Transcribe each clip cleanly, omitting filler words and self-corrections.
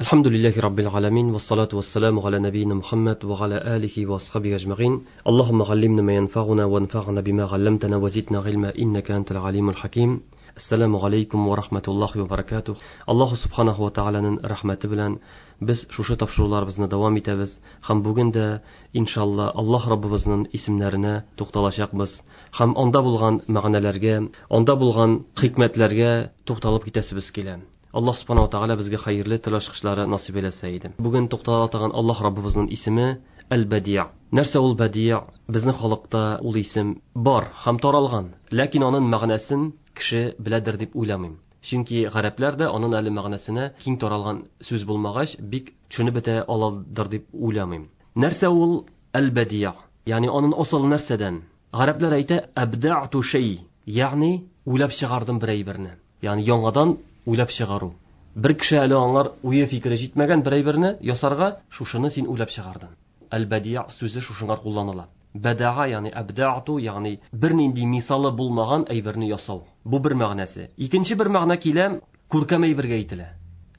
Әлхәмдүлилләһи раббил галәмин, вассалату вассаламу галя нәбиина Мухаммад ва галя алихи ва асхабихи әҗмәгыйн. Аллаһумма галлимна ма янфагуна ва анфагна бима галламтана ва зидна гыйльма иннака антал галимул хаким. Ассаламу алейкум ва рахматуллахи ва баракатух. Аллаһу субханаху ва тааляның рәхмәте белән без шушы тапшыруларыбызны дәвам итәбез һәм бүген дә иншалла Аллаһ Раббыбызның исемнәренә тукталачакбыз һәм анда булган мәгънәләргә, анда булган хикмәтләргә тукталып китәсебез килә. Аллаһ субханаху ва тааля безгә хәерле тел ачкычлары насыйп әйләсә иде. Бүген туктала торган Аллаһ Раббыбызның исеме Әл-Бәдиа. Нәрсә ул Бәдиа? Безнең халыкта ул исем бар һәм таралган, ләкин аның мәгънәсен кеше беләдер дип уйламыйм. Чөнки гарәпләр дә аның әле мәгънәсенә киң таралган сүз булмагач, бик төшенеп бетә аладыр дип уйламыйм. Нәрсә ул Әл-Бәдиа? Ягъни аның асылы нәрсәдән? Гарәпләр әйтә әбдәъту шәй, ягъни уйлап чыгардым бер әйберне. Ягъни яңадан уйлап чыгару. Бер кеше әле аңар уе фикере җитмәгән бер әйберне ясарга, шушыны син уйлап чыгардың. Әл-Бәдиа сүзе шушыңа кулланыла. Бәдәа, ягъни әбдәъту, ягъни бернинди мисалы булмаган әйберне ясау. Бу бер мәгънәсе. Икенче бер мәгънә килә, күркәм әйбергә әйтелә.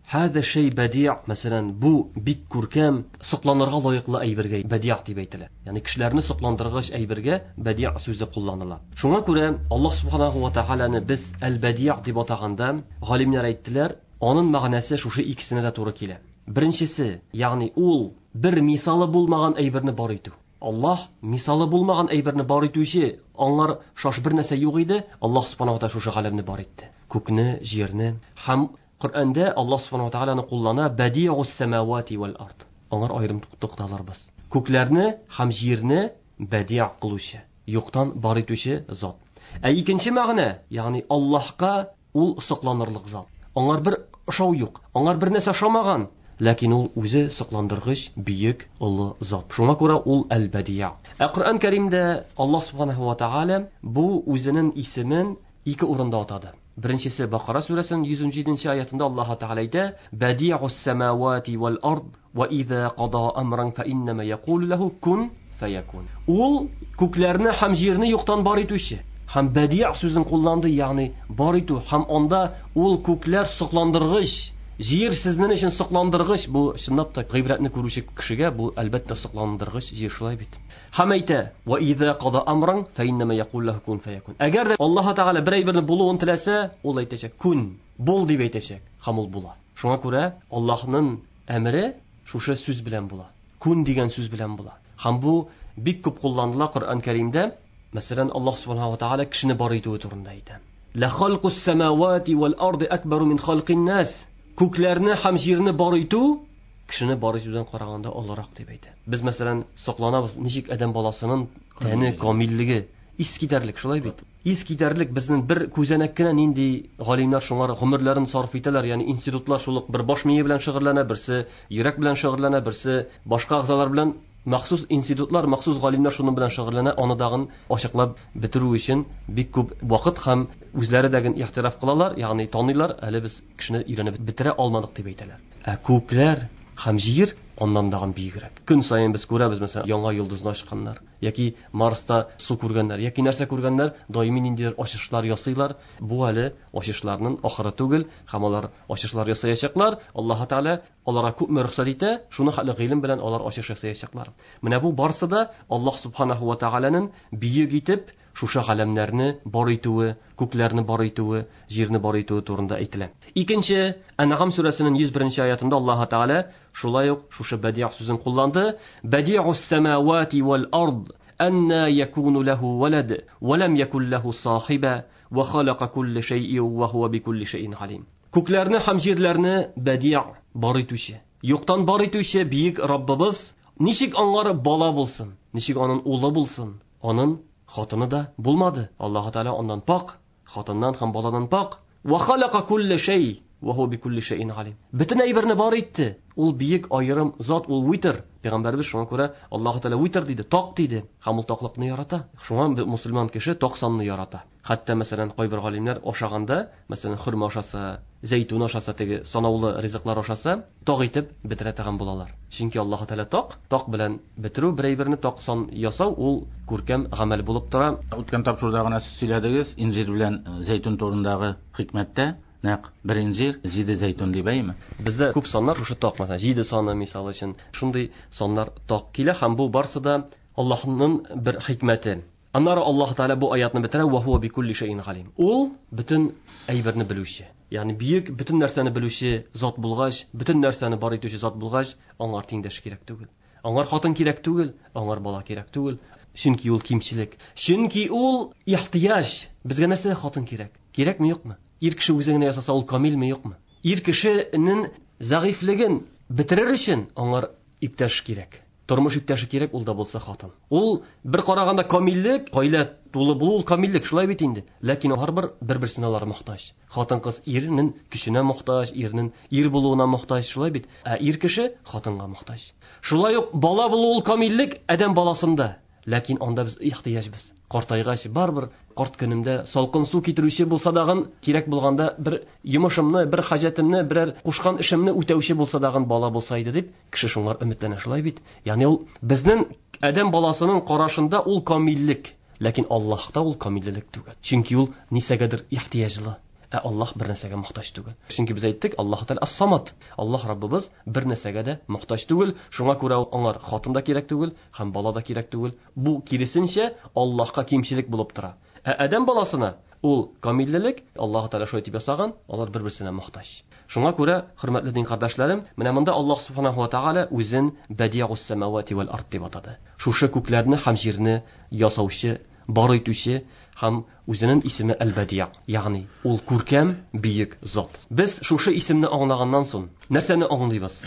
Хәзә шәй бәдиа, мәсәлән, бу бик күркәм, сокланырга лаеклы әйбергә бәдиа дип әйтелә. Ягъни кешеләрне сокландыргыч әйбергә бәдиа сүзе кулланыла. Шуңа күрә Аллаһ субханаху ва тааляны без әл-бәдиа дип атаганда, галимнәр әйттеләр, аның мәгънәсе шушы икесенә дә туры килә. Беренчесе, ягъни ул бер мисалы булмаган әйберне бар итү. Аллаһ мисалы булмаган әйберне бар итүче, аңар шаш бер нәрсә юк иде, Аллаһ субханаху ва тааля шушы галәмне бар итте. Күкне, җирне һәм Коръәндә Аллаһ субханаху ва тааляны куллана бәдиус самавати вал ард. Аңар аерым тукталырбыз. Күкләрне һәм җирне бәдиа кылучы, юктан бар итүче зат. Ә икенче мәгънә, ягъни Аллаһка ул сокланырлык зат. Аңар бер ошау юк, аңар бер нәрсә ошамаган, ләкин ул үзе сокландыргыч, бөек, олы зат. Шуңа күрә ул әл-Бәдиа. Ә Коръән Кәримдә Аллаһ субханаху ва тааля бу үзенең исемен ике урында атады. Беренчесе Бакара сүрәсенең 117 аятында Аллаһ Тәгалә әйтә: "Бәдиус самавати вал ард ва иза када амран фа иннама якулу лаху кун фаякун". Ул күкләрне һәм җирне юктан бар итүче. Һәм бәдиа сүзен кулланды, ягъни бар итү, һәм анда ул күкләр сокландыргыч, җир сезнең өчен сокландыргыч. Бу чынлап та гыйбрәтне күрүче кешегә бу әлбәттә сокландыргыч җир, шулай бит. Һәм әйтә: "Ва иза када амран фа иннама якулу лаху кун фаякун". Әгәр дә Аллаһ Тәгалә бер әйберне булуын теләсә, ул әйтәчәк: "Кун, бул" дип әйтәчәк, һәм ул була. Шуңа күрә Аллаһның әмере шушы сүз белән була. Кун дигән сүз белән була. Һәм бу бик күп кулланыла Коръән Кәримдә. Мәсәлән, Аллаһ субханаху ва тааля кешене бар итүе турында әйтә. Ла халкус самавати вал арди акбару мин халкин нас. Күкләрне һәм җирне бар итү кешене бар итүдән караганда олырак дип әйтә. Без мәсәлән сокланабыз, ничек адәм баласының тәне камиллеге ис китәрлек, шулай бит? Ис китәрлек безнең бер күзәнәк кенә нинди галимнәр шуңар гомерләрен сарыф итәләр, ягъни институтлар шул ук бер баш мие белән шөгыльләнә, берсе йөрәк белән шөгыльләнә, берсе башка әгъзалар белән. Махсус институтлар, махсус галимнәр шуның белән шөгыльләнә, аны дагын ачыклап бетерү өчен бик күп вакыт һәм үзләре дә ихтираф кылалар, ягъни таныйлар, әле без кешене өйрәнеп бетерә алмадык дип әйтәләр. Ә күкләр һәм җир аннан дагын биегрәк. Көн саен без күрәбез, мәсәлән, яңа йолдызны ачканнар, яки Марста су күргәннәр, яки нәрсә күргәннәр, даими ниндидер ачышлар ясыйлар. Бу әле ачышларның ахыры түгел, һәм алар ачышлар ясаячаклар. Аллаһ Тәгалә аларга күпме рөхсәт итә, шуны хәтле гыйлем белән алар ачыш ясаячаклар. Менә бу барсы да Аллаһ субханаху ва тааляның бөек итеп шушы галәмнәрне бар итүе, күкләрне бар итүе, җирне бар итүе турында әйтелә. Икенче, Әнгам сүрәсенең 101 аятында Аллаһ Тәгалә шулай ук шушы бәдиа сүзен кулланды. Бәдиус самавати вал ард анна якуну лаху валад ва лам якул лаху сахиба ва халака кулли шәйъин ва хуа бикулли шәйъин галим. Күкләрне һәм җирләрне бәдиа бар итүче, юктан бар итүче бөек Раббыбыз ничек аңар бала булсын, ничек аның улы булсын, аның хатыны да булмады. Аллаһ Тәгалә аннан пак, хатыннан һәм баладан пак. Ва халака кулли шәй ва хуа бикулли шәйин галим. Бөтен әйберне бар итте. Ул бөек аерым зат, ул витр. Пәйгамбәрбез шуңа күрә Аллаһ Тәгалә витр диде, так диде. Һәм ул таклыкны ярата. Шуңа мусульман кеше так санны ярата. Хәтта мәсәлән кайбер галимнәр ашаганда, мәсәлән хөрмә ашаса, зәйтүн ашаса, теге санаулы ризыклар ашаса, так итеп бетерә торган булалар. Чөнки Аллаһ Тәгалә так, так белән бетерү, бер әйберне так сан ясау ул күркәм гамәл булып тора. Үткән тапшыруда гына сез сөйләдегез инҗир белән зәйтүн турындагы хикмәттә. Нәкъ бер инҗир, җиде зәйтүн дип, әйеме? Бездә күп саннар шушы так, мәсәлән, җиде саны, мисал өчен, шундый саннар так килә һәм бу барсы да Аллаһның бер хикмәте. Аннары Аллаһ Тәгалә бу аятны бетерә, ва хуа бикулли шәйин галим. Ул бөтен әйберне белүче. Ягъни бөек, бөтен нәрсәне белүче зат булгач, бөтен нәрсәне бар итүче зат булгач, аңар тиңдәш кирәк түгел. Аңар хатын кирәк түгел, аңар бала кирәк түгел. Чөнки ул кимчелек. Чөнки ул ихтыяҗ. Безгә нәрсә хатын кирәк? Кирәкме, юкмы? Ир кеше үзе генә ясаса, ул камилме, юкмы? Ир кешенең зәгыйфьлеген бетерер өчен аңар иптәш кирәк. Тормыш иптәше кирәк, ул да булса хатын. Ул бер караганда камиллек, гаилә тулы булу ул камиллек, шулай бит инде. Ләкин һәрбер бер-берсенә алар мохтаҗ. Хатын-кыз ирнең көченә мохтаҗ, ирнең ир булуына мохтаҗ, шулай бит. Ә ир кеше хатынга мохтаҗ. Шулай ук бала булу ул камиллек адәм баласында. Ләкин анда без ихтыяҗбыз. Картайгач, барыбер карт көнемдә салкын су китерүче булса дагын, кирәк булганда бер йомышымны, бер хаҗәтемне, берәр кушкан эшемне үтәүче булса дагын бала булса иде дип, кеше шуңар өметләнә, шулай бит? Ягъни ул безнең адәм баласының карашында ул камиллек, ләкин Аллаһта ул камиллелек түгел. Чөнки ул нисәгәдер ихтыяҗлы. Ә Аллаһ бер нәрсәгә мохтаҗ түгел. Чөнки без әйттек, Аллаһ Тәгалә ас-Самад. Аллаһ Раббыбыз бер нәрсәгә дә мохтаҗ түгел. Шуңа күрә аңар хатын да кирәк түгел, һәм бала да кирәк түгел. Бу киресенчә Аллаһка кимчелек булып тора. Ә адәм баласына ул камиллелек, Аллаһ Тәгалә шулай дип ясаган, алар бер-берсенә мохтаҗ. Шуңа күрә, хөрмәтле дин кардәшләрем, менә монда Аллаһ Субханаһу ва Тәгалә үзен Бәдиус самавати вәл ард дип атады. Шушы күкләрне һәм җирне ясаучы, бар итүче һәм үзенең исеме Әл-Бәдиа, ягъни ул күркәм, бөек зат. Без шушы исемне аңлаганнан соң нәрсәне аңлыйбыз?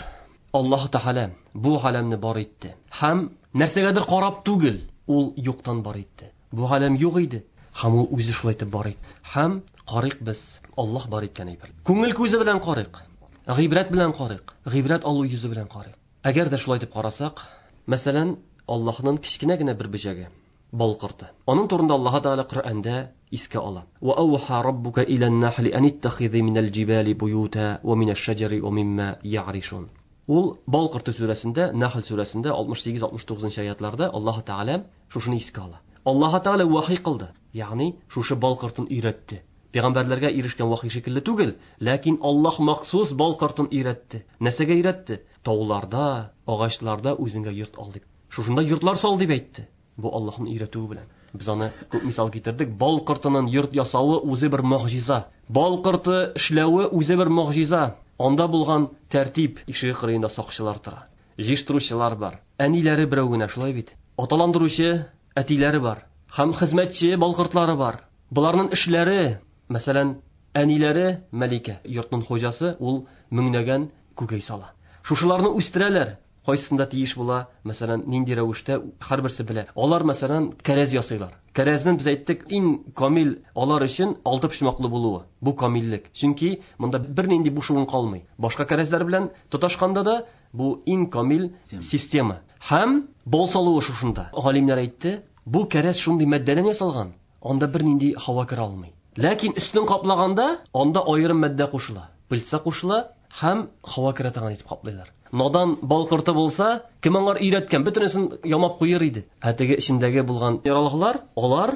Аллаһ Тәгалә бу галәмне бар итте. Һәм нәрсәгәдер карап түгел, ул юктан бар итте. Бу галәм юк иде, һәм ул үзе шулай итеп бар итте. Һәм карыйк без Аллаһ бар иткән әйбер. Күңел күзе белән карыйк, гыйбрәт белән карыйк, гыйбрәт алу йөзе белән карыйк. Әгәр дә шулай итеп карасак, мәсәлән, Аллаһның кечкенә генә бер бөҗәге, бал корты. Аның турында Аллаһ Тәгалә Коръәндә искә ала. Ва ауха раббука илән-нахли ан иттахизи минәл җибали буюта ва минәш-шәҗәри ва мимма я'ришун. Ул бал корты сүрәсендә, Нахл сүрәсендә 68-69 аятларда Аллаһ Тәгалә шушыны искә ала. Аллаһ Тәгалә вахи кылды, ягъни шушы бал кортын өйрәтте. Пәйгамбәрләргә ирешкән вахи шикелле түгел, ләкин Аллаһ махсус бал кортын өйрәтте. Нәрсәгә өйрәтте? Тауларда, агачларда үзеңгә йорт ал дип. Шушында йортлар сал дип әйтте. Бу Аллаһның өйрәтүе белән. Без аны күп мисал китердек. Бал кортының йорт ясавы үзе бер могҗиза. Бал корты эшләве үзе бер могҗиза. Анда булган тәртип, ишеге кырыенда сакчылар тора. Җыештыручылар бар. Әниләре берәү генә, шулай бит. Аталандыручы әтиләре бар. Һәм хезмәтче бал кортлары бар. Боларның эшләре, мәсәлән, әниләре Мәликә, йортның хуҗасы, ул меңләгән күкәй сала. Шушыларны үстерәләр. Кайсында тиеш була, мәсәлән, нинди рәвештә һәрберсе белә. Алар, мәсәлән, кәрәз ясыйлар. Кәрәзнең без әйттек, иң камил алар өчен алты почмаклы булуы. Бу камиллек. Чөнки монда бернинди буш урын калмый. Башка кәрәзләр белән тоташканда да бу иң камил система. Һәм бал салуы шушында. Галимнәр әйтте, бу кәрәз шундый матдәдән ясалган, анда бернинди һава керә алмый. Ләкин өстен каплаганда анда аерым матдә кушыла. Пыльца кушыла һәм һава керә торган итеп каплыйлар. Надан бал корты булса, кем аңар өйрәткән, бөтенесен ямап куер иде. Ә теге эчендәге булган яралгылар, алар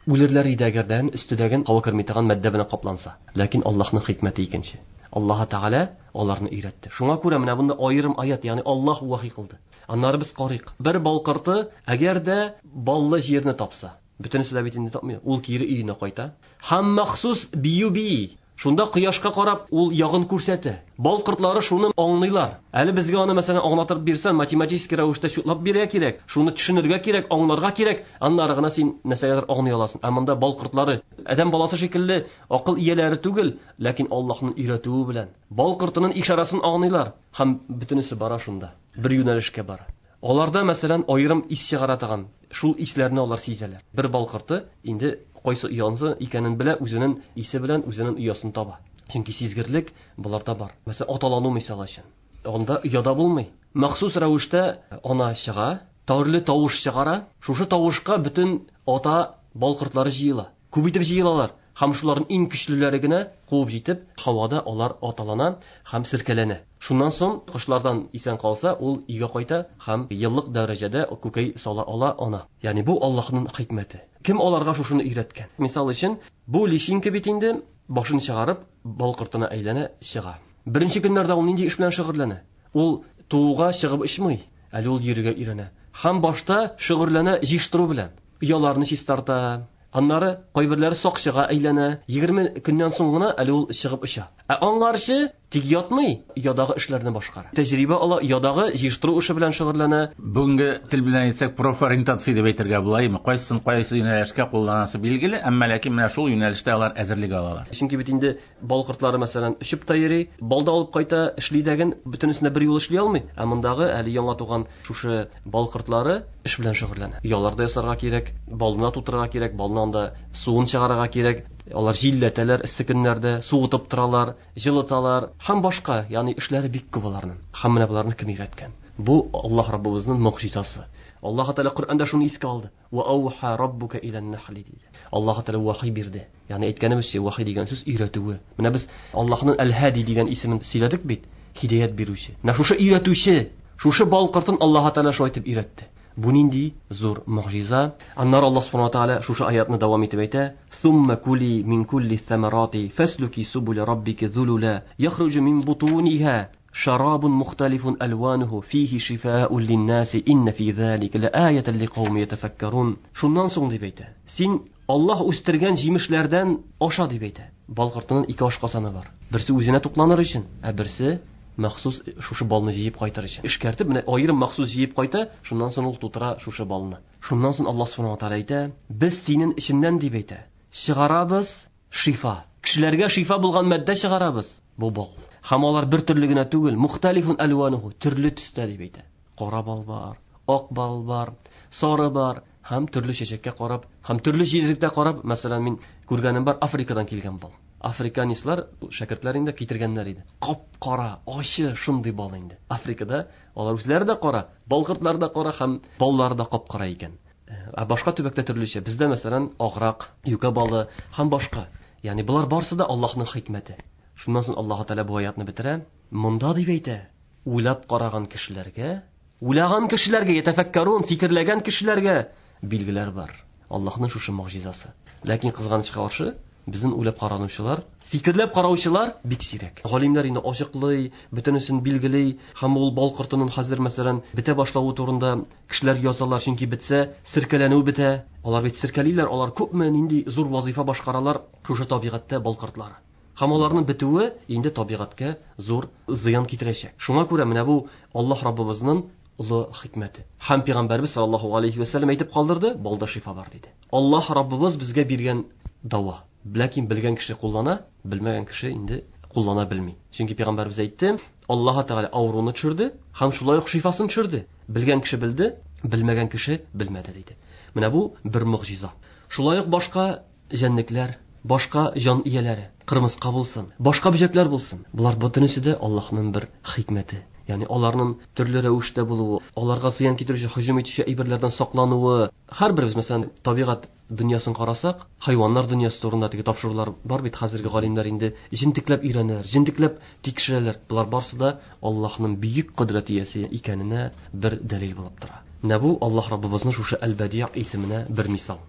үлерләр иде әгәрдән өстедәген һава керми торган матдә белән капланса. Ләкин Аллаһның хикмәте икенче. Аллаһ Тәгалә аларны өйрәтте. Шуңа күрә менә монда аерым аят, ягъни Аллаһ вахи кылды. Аннары без карыйк. Бер бал корты әгәр дә баллы җирне тапса, бөтенесе дә бит инде тапмый, ул кире өенә кайта. Һәм махсус бию бии. Шунда кояшка карап ул ягын күрсәтә. Бал кортлары шуны аңлыйлар. Әле безгә аны мәсәлән аңлатып бирсәң, математический рәвештә чутлап бирергә кирәк, шуны төшенергә кирәк, аңларга кирәк, аннары гына син нәрсәгәдер аңлый аласың. Ә монда бал кортлары адәм баласы шикелле акыл ияләре түгел, ләкин Аллаһның өйрәтүе белән бал кортының ишарасын аңлыйлар һәм бөтенесе бара шунда. Бер юнәлешкә бара. Аларда, мәсәлән, аерым ис чыгара торган, шул исләрне алар сизәләр. Бер бал корты инде кайсы оянсы икәнен белә, үзенең исе белән үзенең оясын таба. Чөнки сизгерлек боларда бар. Мәсәлән, аталану мисал өчен. Анда ояда булмый. Махсус рәвештә ана чыга, төрле тавыш чыгара. Шушы тавышка бөтен ата бал кортлары җыела. Күп итеп җыелалар. Һәм шуларның иң көчлеләре генә куып җитеп, һавада алар аталана һәм сиркәләнә. Шуннан соң кошлардан исән калса, ул өйгә кайта һәм еллык дәрәҗәдә күкәй сала ала ана. Ягъни бу Аллаһның хикмәте. Кем аларга шушыны өйрәткән? Мисал өчен, бу личинка бит инде башын чыгарып, бал кортына әйләнә, чыга. Беренче көннәрдә ул нинди эш белән шөгыльләнә? Ул тууга чыгып очмый, әле ул йөрергә өйрәнә. Һәм башта шөгыльләнә җыештыру белән. Ояларны чистарта. Аннары кайберләре сакчыга әйләнә. 20 көннән соң гына әле ул чыгып оча. Ә аңарчы тик ятмый, оядагы эшләрне башкара. Тәҗрибә ала, оядагы җыештыру эше белән шөгыльләнә. Бүгенге тел белән әйтсәк, профориентация дип әйтергә була, әйеме? Кайсысын кайсы юнәлешкә кулланасы билгеле, әмма ләкин менә шул юнәлештә алар әзерлек алалар. Чөнки бит инде бал кортлары, мәсәлән, очып та йөри, бал да алып кайта, эшли дәген, бөтенесен дә бер юлы эшли алмый. Ә мондагы әле яңа туган шушы бал кортлары эш белән шөгыльләнә. Оялар да ясарга кирәк, балны да тутырырга кирәк, балны анда суын чыгарырга кирәк. Алар җилләтәләр эссе көннәрдә, суытып торалар, җылыталар һәм башка, ягъни эшләре бик күп аларның. Һәм менә боларны кем өйрәткән? Бу Аллаһ Раббыбызның могҗизасы. Аллаһ Тәгалә Коръәндә шуны искә алды. Ва ауха раббука илән нахли диде. Аллаһ Тәгалә вахи бирде. Ягъни әйткәнебезчә, вахи дигән сүз өйрәтүе. Менә без Аллаһның Әл-Һади дигән исемен сөйләдек бит, һидаят бирүче. Менә шушы өйрәтүче, шушы бал кортын Аллаһ Тәгалә шулай итеп өйрәтте. Бу нинди зур могҗиза. Аннары Аллаһ Субхану ва Тааля шушы аятны дәвам итеп әйтә: Сумма кули мин кулли самарати фаслуки субул раббики зулула яхруҗу мин бутуниха шарабун мухталифун алвануху фихи шифаун линнаси инна фи залика лааятан ликауми ятафаккарун. Шуннан соң дип әйтә: син Аллаһ үстергән җимешләрдән аша дип әйтә. Бал кортының ике ашказаны бар. Берсе үзенә тукланыр өчен, ә берсе махсус шушы балны җыеп кайтыр өчен. Эшкәртеп, менә аерым махсус җыеп кайта, шуннан соң ул тутыра шушы балны. Шуннан соң Аллаһ Субхану ва Тааля әйтә: без синең эченнән дип әйтә, чыгарабыз шифа. Кешеләргә шифа булган матдә чыгарабыз. Бу бал. Һәм алар бер төрле генә түгел, мухталифун алвануху, төрле төстә дип әйтә. Кара бал бар, ак бал бар, сары бар, һәм төрле чәчәккә карап, һәм төрле җирлектә карап, мәсәлән, мин күргәнем бар, Африкадан килгән бал. Африканистлар, шәкертләр инде китергәннәр иде. Кап-кара, ачы шундый бал инде. Африкада алар үзләре дә кара, бал кортлары да кара һәм баллары да кап-кара икән. Ә башка төбәктә төрлечә. Бездә, мәсәлән, аграк, юкә балы һәм башка. Ягъни болар барысы да Аллаһның хикмәте. Шуннан соң Аллаһ Тәгалә бу аятны бетерә. Монда дип әйтә, уйлап караган кешеләргә, уйлаган кешеләргә, ятәфәккәрун, фикерләгән кешеләргә билгеләр бар. Аллаһның шушы могҗизасы. Ләкин кызганычка каршы, безнең уйлап каранучылар, фикерләп караучылар бик сирәк. Галимнәр инде ачыклый, бөтенесен билгели, һәм ул бал кортының хәзер, мәсәлән, бетә башлавы турында кешеләр язалар, чөнки бетсә, серкәләнү бетә. Алар бит серкәлиләр, алар күпме нинди зур вазифа башкаралар шушы табигатьтә бал кортлары. Һәм аларның бетүе инде табигатькә зур зыян китерәчәк. Шуңа күрә менә бу Аллаһ Раббыбызның олы хикмәте. Һәм Пәйгамбәрбез саллаллаһу алейхи ва сәлләм әйтеп калдырды, балда шифа бар диде. Аллаһ Раббыбыз безгә биргән дава. Ләкин белгән кеше куллана, белмәгән кеше инде куллана белми. Чөнки Пәйгамбәрбез әйтте, Аллаһ Тәгалә авыруны төшерде һәм шулай ук шифасын төшерде. Белгән кеше белде, белмәгән кеше белмәде диде. Менә бу бер могҗиза. Шулай ук башка җәнлекләр, башка җан ияләре, кырмыска булсын, башка бөҗәкләр булсын. Болар бөтенесе дә Аллаһның бер хикмәте. Ягъни аларның төрле рәвештә булуы, аларга зыян китерүче, һөҗүм итүче әйберләрдән саклануы. Һәрберебез, мәсәлән, табигать дөньясын карасак, хайваннар дөньясы турында теге тапшырулар бар бит, хәзерге галимнәр инде җентекләп өйрәнәләр, җентекләп тикшерәләр. Болар барысы да Аллаһның бөек кодрәт иясе икәненә бер дәлил булып тора. Менә бу Аллаһ Раббыбызның шушы Әл-Бәдиъ исеменә бер мисал.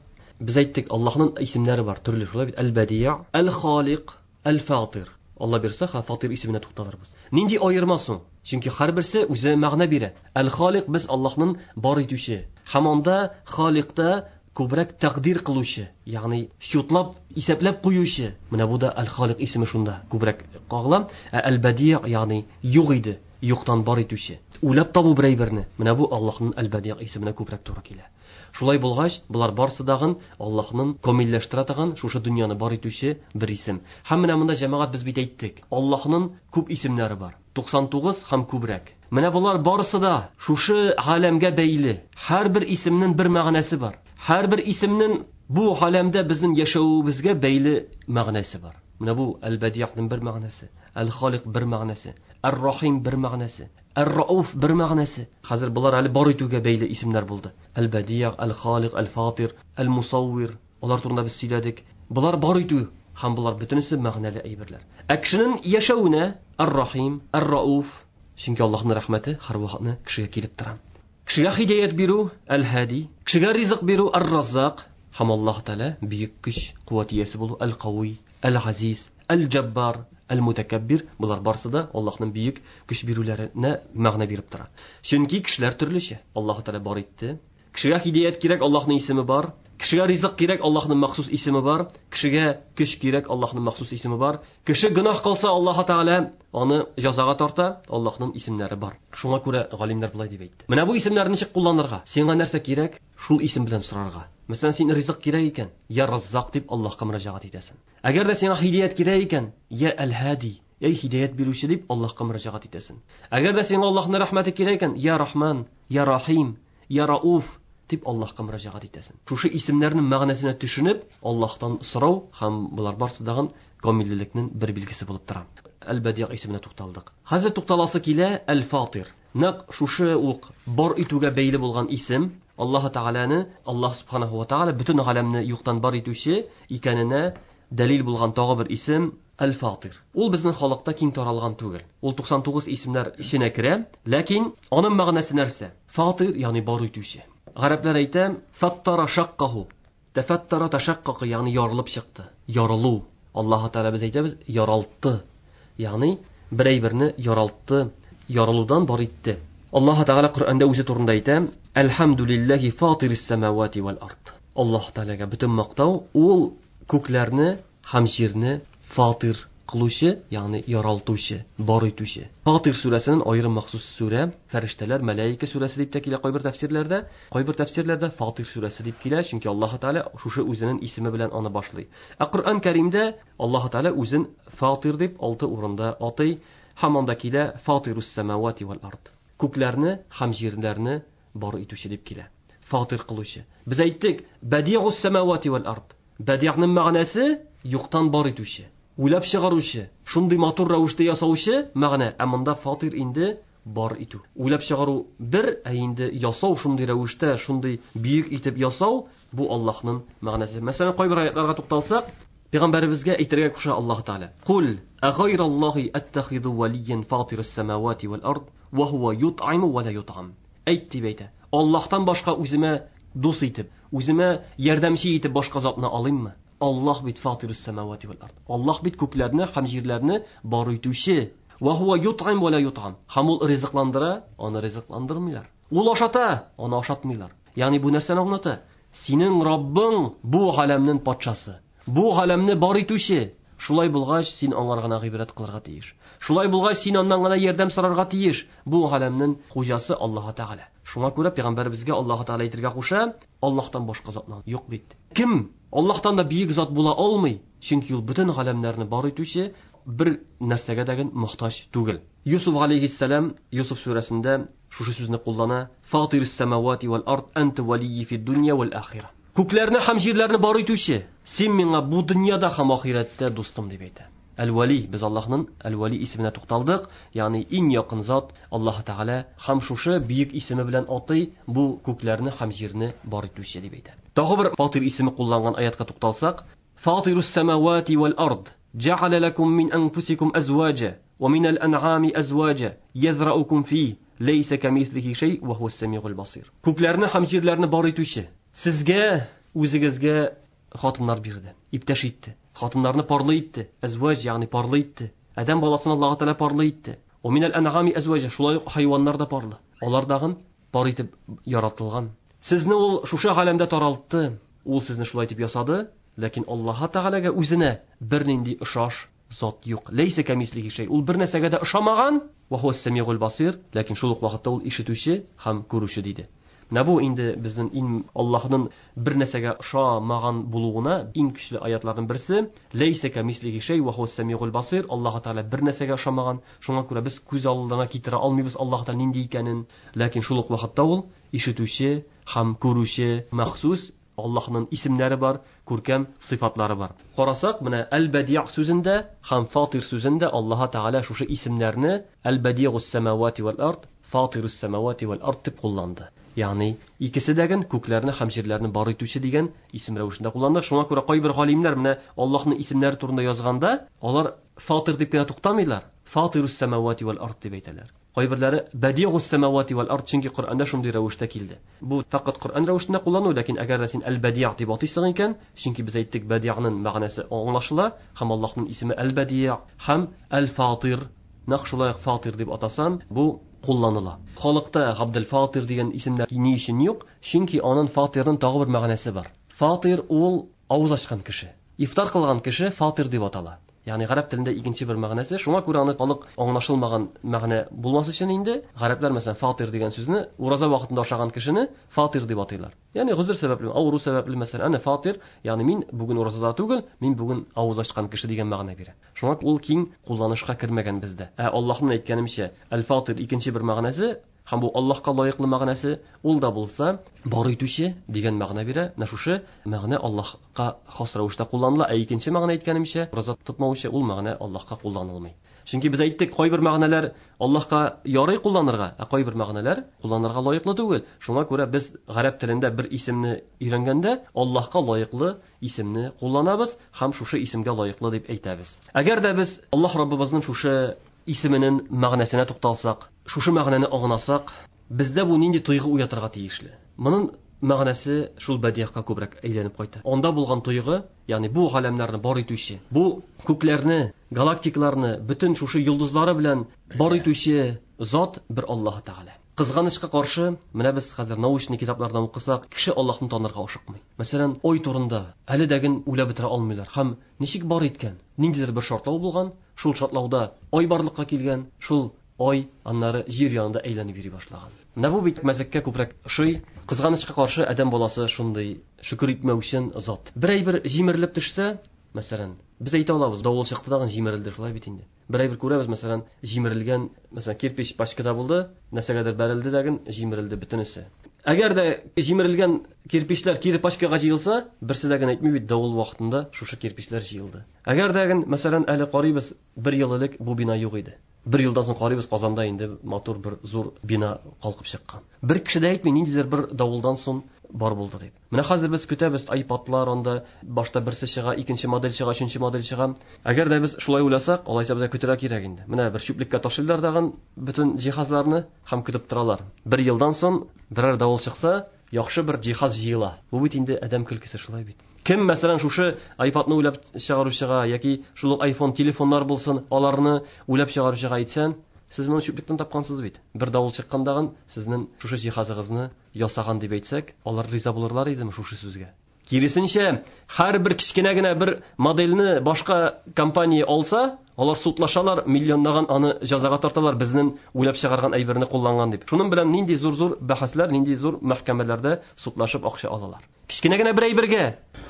Без әйттек, Аллаһның исемнәре бар, төрле шулай бит. Әл-Бәдиъ, Әл-Халик, Әл-Фатир. Алла бирсә, ха, Фатир исеменә тукталырбыз. Нинди аерма соң? Чөнки һәрберсе үзе мәгънә бирә. Әл-Халик без Аллаһның бар итүче. Һәм анда Халикта күбрәк тәкъдир кылучы, ягъни счетлап, исәпләп куючы. Менә бу да Әл-Халик исеме шунда күбрәк кагыла. Ә Әл-Бәдиъ, ягъни юк иде, юктан бар итүче. Уйлап табу бер әйберне. Менә бу Аллаһның Әл-Бәдиъ исеменә күбрәк туры килә. Шулай булгач, болар барсы дагын Аллаһның камилләштерә торган шушы дөньяны бар итүче бер исем. Һәм менә монда җәмәгать без бит әйттек, Аллаһның күп исемнәре бар. 99 һәм күбрәк. Менә болар барысы да шушы галәмгә бәйле. Һәрбер исемнең бер мәгънәсе бар. Һәрбер исемнең бу галәмдә безнең яшәвебезгә бәйле мәгънәсе бар. Менә бу Әл-Бәдиъның бер мәгънәсе, Әл-Халик бер мәгънәсе, Әр-Рахим бер мәгънәсе, Әр-Рауф бер мәгънәсе. Хәзер болар әле бар итүгә бәйле исемнәр булды. Әл-Бәдиъ, Әл-Халик, Әл-Фатир, Әл-Мусаввир. Алар турында без сөйләдек. Болар бар итү һәм болар бөтенесе мәгънәле әйберләр. Ә кешенең яшәвенә Әр-Рахим, Әр-Рауф, чөнки Аллаһның рәхмәте һәрвакытны кешегә килеп тора. Кешегә һидаят бирү Әл-Һади, кешегә ризык бирү Әр-Раззак, һәм Аллаһ Тәгалә бөек көч, куәт иясе булу Әл-Кави. Әл-Газиз, Әл-Җаббар, Әл-Мутәкәббир, болар барсы да Аллаһның бөек көч бирүләренә мәгънә биреп тора. Чөнки кешеләр төрлечә. Аллаһ Тәгалә бар итте. Кешегә һидәят кирәк, Аллаһның исеме бар. Кешегә ризык кирәк, Аллаһның махсус исеме бар. Кешегә көч кирәк, Аллаһның махсус исеме бар. Кеше гөнаһ кылса, Аллаһ Тәгалә аны җәзага тарта, Аллаһның исемнәре бар. Шуңа күрә галимнәр болай дип әйтте. Менә бу исемнәрне ничек кулланырга? Сиңа нәрсә кирәк? Шул исем белән сорарга. Мәсәлән, син ризык кирәк икән, я Раззак дип Аллаһка мөрәҗәгать итәсең. Әгәр дә сиңа һидәят кирәк икән, я Әл-Һади, эй һидәят бирүче дип Аллаһка мөрәҗәгать итәсең. Әгәр дә сиңа Аллаһның рәхмәте кирәк икән, я Рахман, я Рахим, я Рауф дип Аллаһка мөрәҗәгать итәсең. Шушы исемнәрнең мәгънәсенә төшенеп, Аллаһтан сорау һәм болар барсы дагын камиллелекнең бер билгесе булып тора. Әл-Бәдигъ исеменә тукталдык. Хәзер тукталасы килә Әл-Фатир. Нәкъ шушы ук бар итүгә бәйле булган исем, Аллаһ Тәгаләне, Аллаһ Субханаһу ва Тәгалә бөтен галәмне юктан бар итүче икәненә дәлил булган тагы бер исем Әл-Фатир. Ул безнең халыкта киң таралган түгел. Ул 99 исемнәр эченә керә, ләкин аның мәгънәсе нәрсә? Фатир, ягъни бар итүче. Гарәпләр әйтә, фаттара шаккаху. Тәфаттара ташаккака, ягъни ярылып чыкты. Ярылу. Аллаһ Тәгалә без әйтәбез, яралтты. Ягъни бер әйберне яралтты, ярылудан бар итте. Аллаһ Тәгалә Коръәндә үзе турында әйтә, Әлхәмдүлилләһи фатирис самавати вал ард. Аллаһ Тәгаләгә бөтен мактау, ул күкләрне һәм җирне фатир кылучы, ягъни яралтучы, бар итүче. Фатир сүрәсенең аерым махсус сүрә, фәрештәләр, мәлаика сүрәсе дип тә килә кайбер тәфсирләрдә. Кайбер тәфсирләрдә Фатир сүрәсе дип килә, чөнки Аллаһ Тәгалә шушы үзенең исеме белән аны башлый. Ә Коръән Кәримдә Аллаһ Тәгалә үзен Фатир дип 6 урында атый, һәм анда килә Фатирус самавати вал ард. Күкләрне һәм җирләрне бар итүче дип килә. Фатир кылучы. Без әйттек, Бәдигус самавати вал ард. Бәдигъның мәгънәсе юктан бар итүче, уйлап чыгаручы, шундый матур рәвештә ясаучы мәгънә. Ә монда фатир инде бар итү. Уйлап чыгару бер, ә инде ясау шундый рәвештә, шундый бөек итеп ясау, бу Аллаһның мәгънәсе. Мәсәлән, кайбер аятларга тукталсак, Пәйгамбәребезгә әйтергә куша Аллаһ Тәгалә. Кул агайраллаһи аттахизу валиян фатирас самавати вал ард ва хува ютъиму ва ла ютъам. Әйт дип әйтә. Аллаһтан башка үземә дус итеп, үземә ярдәмче итеп башка затны алыйммы? Аллаһ бит фатирус самавати вал ард. Аллаһ бит күкләрне һәм җирләрне бар итүче. Ва хува ютъим ва ла ютъам. Һәм ул ризыкландыра, аны ризыкландырмыйлар. Ул ашата, аны ашатмыйлар. Ягъни бу нәрсәне аңлата? Синең Раббың бу галәмнең патшасы. Бу галәмне бар итүче. Шулай булгач, син аңар гына гыйбадәт кылырга тиеш. Шулай булгач, син аннан гына ярдәм сорарга тиеш. Бу галәмнең хуҗасы Аллаһ Тәгалә. Шуңа күрә пәйгамбәребезгә Аллаһ Тәгалә әйтергә куша, Аллаһтан башка затны юк бит. Кем Аллаһтан да бөек зат була алмый, чөнки ул бөтен галәмнәрне бар итүче, бер нәрсәгә дә мохтаҗ түгел. Юсуф алейхиссалам Юсуф сүрәсендә шушы сүзне куллана: Фатирус самавати вал ард анта валийи фид дунья вал ахира. Күкләрне һәм җирләрне бар итүче, син миңа бу дөньяда һәм ахирәттә дустым дип әйтә. Әл-Вали, без Аллаһның Әл-Вали исеменә тукталдык, ягъни иң якын зат Аллаһ Тәгалә һәм шушы бөек исеме белән атый бу күкләрне һәм җирне бар итүче дип әйтә. Тагы бер Фатир исеме кулланган аятка тукталсак, Фатирус самавати вал ард, җәгъәлә ләкум мин анфусикум әзваҗа, ва минәл әнъами әзваҗа, язраукум фи, ләйсә камислихи шәй, ва хуас самигул басир. Күкләрне һәм җирләрне бар итүче, сезгә үзегезгә хатыннар бирде, иптәш итте. Хатыннарны парлы итте, әзваҗ, ягъни парлы итте. Адәм баласын Аллаһ Тәгалә парлы итте. Ва минәл әнъами әзваҗа, шулай ук хайваннар да парлы. Алар дагын пар итеп яратылган. Сезне ул шушы галәмдә таралтты, ул сезне шулай итеп ясады, ләкин Аллаһ Тәгаләгә үзенә бернинди ошаш зат юк. Ләйсә камислихи шәй. Ул бер нәрсәгә дә ошамаган. Ва хуас самигул басир, ләкин шул ук вакытта ул ишетүче һәм күрүче диде. Менә бу инде безнең иң Аллаһның бер нәрсәгә ошамаган булуына иң көчле аятларның берсе. Ләйсә камислихи шәй ва хуас самигул басир. Аллаһ Тәгалә бер нәрсәгә ошамаган. Шуңа күрә без күз алдына китерә алмыйбыз Аллаһ Тәгалә нинди икәнен. Ләкин шул ук вакытта ул ишетүче һәм күрүче, махсус Аллаһның исемнәре бар, күркәм сыйфатлары бар. Карасак, менә Әл-Бәдиъ сүзендә һәм Фатир сүзендә Аллаһ Тәгалә шушы исемнәрне Әл-Бәдиъус самавати вал ард, Фатирус самавати вал ард дип кулланды. Ягъни икесе дә ген күкләрне һәм җирләрне бар итүче дигән исем рәвешендә кулланды. Шуңа күрә кайбер галимнәр менә Аллаһның исемнәре турында язганда, алар Фатир дип кенә туктамыйлар, Фатирус самавати вал ард дип әйтәләр. Кайберләре Бади'ус самавати вал ард, чөнки Коръәндә шундый рәвештә килде. Бу фақат Коръән рәвешендә куллану, ләкин әгәр дә син Әл-Бади' дип атыйсың икән, чөнки без әйттек Бади'ның мәгънәсе аңлашыла, һәм Аллаһның исеме Әл-Бади' һәм Әл-Фатир, нәкъ шулай ук Фатир дип атасан, бу кулланыла. Халыкта Габдел Фатир дигән исемнәр ни өчен юк? Чөнки аның Фатирның тагы бер мәгънәсе бар. Фатир ул авыз ачкан кеше. Ифтар кылган кеше Фатир дип атала. Ягъни гарәп телендә икенче бер мәгънәсе, шуңа күрә аны халык аңлашылмаган мәгънә булмас өчен инде, гарәпләр мәсәлән фатир дигән сүзне ураза вакытында ашаган кешене фатир дип атыйлар. Ягъни гозер сәбәпле, авыру сәбәпле мәсәлән, әнә фатир, ягъни мин бүген уразада түгел, мин бүген авыз ачкан кеше дигән мәгънә бирә. Шуңа ул киң кулланышка кермәгән бездә. Ә Аллаһның әйткәнемчә, әл-фатир икенче бер мәгънәсе, һәм бу Аллаһка лаеклы мәгънәсе, ул да булса бар итүче дигән мәгънә бирә. Менә шушы мәгънә Аллаһка хас рәвештә кулланыла. Ә икенче мәгънә әйткәнемчә, ураза тотмаучы, ул мәгънә Аллаһка кулланылмый. Чөнки без әйттек, кайбер мәгънәләр Аллаһка ярый кулланырга, ә кайбер мәгънәләр кулланырга лаеклы түгел. Шуңа күрә без гарәп телендә бер исемне өйрәнгәндә Аллаһка лаеклы исемне кулланабыз һәм шушы исемгә лаеклы дип әйтәбез. Әгәр дә без Аллаһ Раббыбызның шушы исеменең мәгънәсенә тукталсак, шушы мәгънәне аңласак, бездә бу нинди тойгы уятырга тиешле? Моның мәгънәсе шул бәдиягә күбрәк әйләнеп кайта. Анда булган тойгы, ягъни бу галәмнәрне бар итүче, бу күкләрне, галактикаларны, бөтен шушы йолдызлары белән бар итүче зат бер Аллаһ Тәгалә. Кызганычка каршы, менә без хәзер научный китаплардан укысак, кеше Аллаһны танырга ашыкмый. Мәсәлән, ой турында әле дәген уйлап бетерә алмыйлар. Һәм ничек бар иткән? Ниндидер бер шартлау булган, шул шартлауда ай барлыкка килгән, шул ай аннары җир янында әйләнеп йөри башлаган. Менә бу бит мәзәккә күбрәк ошый. Кызганычка каршы, адәм баласы шундый шөкер итмәүчен зат. Бер әйбер җимерелеп төшсә, мәсәлән, без әйтә алабыз, давыл чыкты тагын җимерелде, шулай бит инде. Бер әйбер күрәбез, мәсәлән, җимерелгән, мәсәлән, кирпич пачкада булды, нәрсәгәдер бәрелде дәген, җимерелде бөтенесе. Әгәр дә җимерелгән кирпичләр кире пачкага җыелса, берсе дә генә әйтми бит, давыл вакытында шушы кирпичләр җыелды. Әгәр дә ген, мәсәлән, әле карыйбыз, бер ел элек бу бина юк иде. Бер елдан соң карыйбыз, Казанда инде матур бер зур бина калкып чыккан. Бер кеше дә әйтми, ниндидер бер давылдан соң бар булды дип. Менә хәзер без көтәбез, iPadлар анда башта берсе чыга, икенче модель чыга, өченче модель чыга. Әгәр дә без шулай уйласак, алайса безгә көтәргә кирәк инде. Менә бер чүплеккә ташлыйлар дагын бөтен җиһазларны һәм көтеп торалар. Бер елдан соң берәр давыл чыкса, яхшы бер җиһаз җыела. Бу бит инде адәм көлкесе, шулай бит. Кем, мәсәлән, шушы iPadны уйлап чыгаручыга яки шул ук iPhone телефоннар булсын, аларны уйлап чыгаручыга әйтсән, сез моны чүплектән тапкансыз бит. Бер давыл чыккандагын сезнең шушы җиһазыгызны ясаган дип әйтсәк, алар риза булырлар идеме шушы сүзгә? Киресенчә, һәрбер кечкенә генә бер модельне башка компания алса, алар судлашалар, миллионлаган аны җәзага тарталар, безнең уйлап чыгарган әйберне кулланган дип. Шуның белән нинди зур-зур бәхәсләр, нинди зур мәхкәмәләрдә судлашып акча алалар. Кечкенә генә бер әйбергә.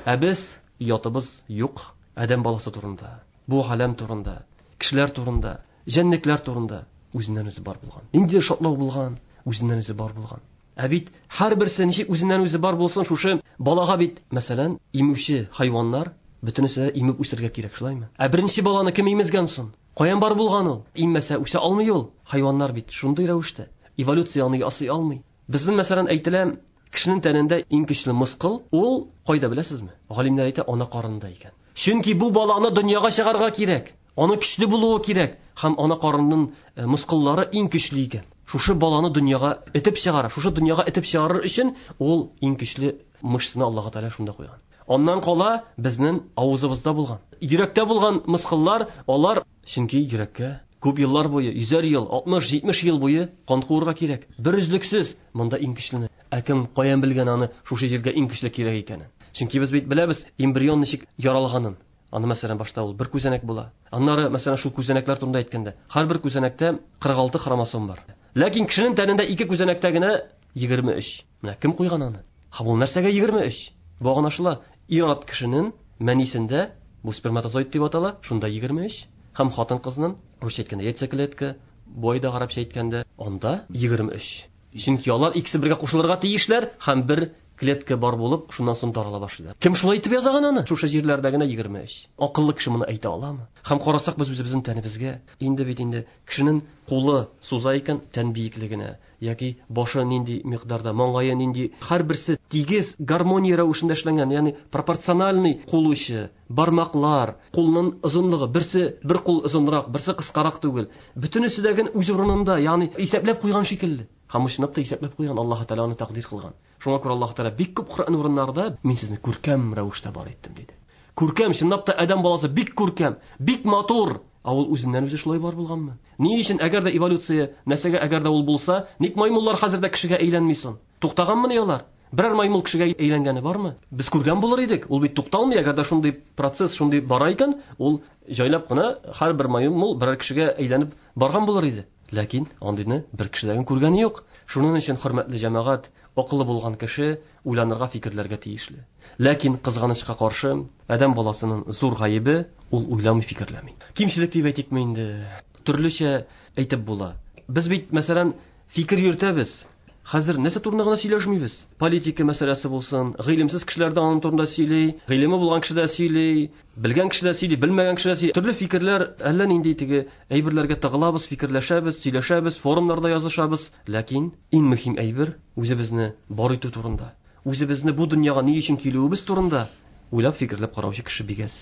Ә без оятыбыз юк адәм баласы турында, бу галәм турында, кешеләр турында, җәнлекләр турында үзеннән үзе бар булган. Нинди шатлык булган, үзеннән үзе бар булган. Ә бит һәрберсе ничек үзеннән үзе бар булсын, шушы балага бит, мәсәлән, имүче хайваннар бөтенесе дә имеп үсергә кирәк, шулаймы? Ә беренче баланы кем имезгән соң? Каян бар булган ул? Иммәсә үсә алмый ул. Хайваннар бит шундый рәвештә эволюция аны ясый алмый. Безнең, мәсәлән, әйтелә, кешенең тәнендә иң көчле мускул ул кайда беләсезме? Галимнәр әйтә, ана карынында икән. Чөнки бу баланы дөньяга чыгарга кирәк. Аны көчле булуы кирәк. Һәм ана карынының мускуллары иң көчле икән. Шушы баланы дөньяга этеп чыгара. Шушы дөньяга этеп чыгарыр өчен ул иң көчле мышцаны Аллаһ Тәгалә шунда куйган. Аннан кала безнең авызыбызда булган, йөрәктә булган мускуллар, алар чөнки йөрәккә күп еллар буе, йөзәр ел, 60-70 ел буе кан куырга кирәк. Бер өзлексез монда иң көчлене. Ә кем каян белгән аны шушы җиргә иң көчле кирәк икәнен? Чөнки без бит беләбез эмбрион ничек яралганын. Аны, мәсәлән, башта ул бер күзәнәк була. Аннары, мәсәлән, шул күзәнәкләр турында әйткәндә, һәрбер күзәнәктә 46 хромосом бар. Ләкин кешенең тәнендә ике күзәнәктә генә 23. Менә кем куйган аны? Һәм ул нәрсәгә 23? Бу аңлашыла. Ир-ат кешенең мәнисендә, бу сперматозоид дип атала, шунда 23. Һәм хатын-кызның, русча әйткәндә, яйцеклетка, бу айда гарәпчә әйткәндә, анда 23. Чөнки алар икесе бергә кушылырга тиешләр һәм бер Клетка бар булып, шуннан соң тарала башлыйлар. Кем шулай итеп язган аны? Шушы җирләрдә генә 23. Акыллы кеше моны әйтә аламы? Һәм карасак без үзебезнең тәнебезгә, инде бит инде кешенең кулы суза икән тән биеклегенә, яки башы нинди микъдарда, маңгае нинди, һәрберсе тигез гармония рәвешендә эшләнгән, ягъни пропорциональный кул очы, бармаклар, кулның озынлыгы, берсе бер кул озынрак, берсе кыскарак түгел. Бөтенесе дә гел үз урынында, ягъни исәпләп куйган шикелле. Һәм чынлап та исәпләп куйган, Аллаһ Тәгалә аны тәкъдир кылган. Шуңа күрә Аллаһ Тәгалә бик күп Коръән урыннарында мин сезне күркәм рәвештә бар иттем диде. Күркәм, чынлап та адәм баласы бик күркәм, бик матур. Ә ул үзеннән үзе шулай бар булганмы? Ни өчен, әгәр дә эволюция нәрсәгә әгәр дә ул булса, ник маймыллар хәзер дә кешегә әйләнми соң? Туктаганмыни алар? Берәр маймыл кешегә әйләнгәне бармы? Без күргән булыр идек. Ул бит тукталмый, әгәр дә шундый процесс шундый бара икән, ул җайлап кына һәрбер маймыл берәр кешегә әйләнеп барган булыр иде. Ләкин андыйны бер кешедән күргәне юк. Шуның өчен, хөрмәтле җәмәгать, акыллы булган кеше уйланырга, фикерләргә тиешле. Ләкин кызганычка каршы, адәм баласының зур гаебе ул уйламый, фикерләми. Кимчелек дип әйтикме инде? Төрлечә әйтеп була. Без бит, мәсәлән, фикер йөртәбез. Хәзер нәрсә турында гына сөйләшмибез? Политика мәсьәләсе булсын, гыйлемсез кешеләр дә аның турында сөйли, гыйлеме булган кеше дә сөйли, белгән кеше дә сөйли, белмәгән кеше дә сөйли. Төрле фикерләр, әллә нинди теге әйберләргә тыгылабыз, фикерләшәбез, сөйләшәбез, форумнарда язышабыз. Ләкин иң мөһим әйбер үзебезне бар итү турында, үзебезне бу дөньяга ни өчен килүебез турында уйлап фикерләп караучы кеше бик әз.